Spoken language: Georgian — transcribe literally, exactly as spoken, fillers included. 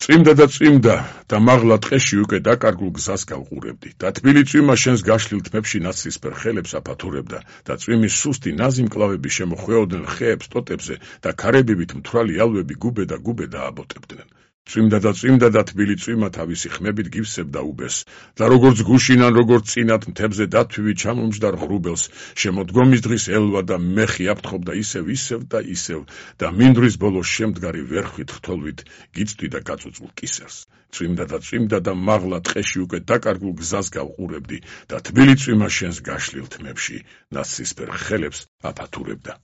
წვიმდა და წვიმდა და მაღლა ტყეში უკვე დაკარგულ გზას გავყურებდი და თბილი წვიმა შენს გაშლილ თმებში ნაცრისფერ ხელებს აფათურებდა და წვიმის სუსტი ნაზი მკლავები შემოხვეოდნენ ხეებს ტოტებზე და ქარებივით მთვრალი ალვები გუბე და გუბე დააბოტებდნენ. წვიმდა და წვიმდა და თბილი წვიმა თავისი ხმებით გივსებდა უბეს და როგორც გუშინან როგორც წინათ მთებზე დათვივი ჩამომჯდარ ღრუბელს შემოდგომის დღის ელვა და მეხი აფრთხობდა ისევ ისევ და ისევ და მინდვრის ბოლოს შემდგარი ვერხვით რთოლვით გიწვდი და გაწუწულ კისერს. წვიმდა და წვიმდა და მაღლა ტყეში უკვე დაკარგულ გზას გავყურებდი და თბილი წვიმა შენს გაშლილ თმებში ნაცრისფერ ხელებს აფათურებდა.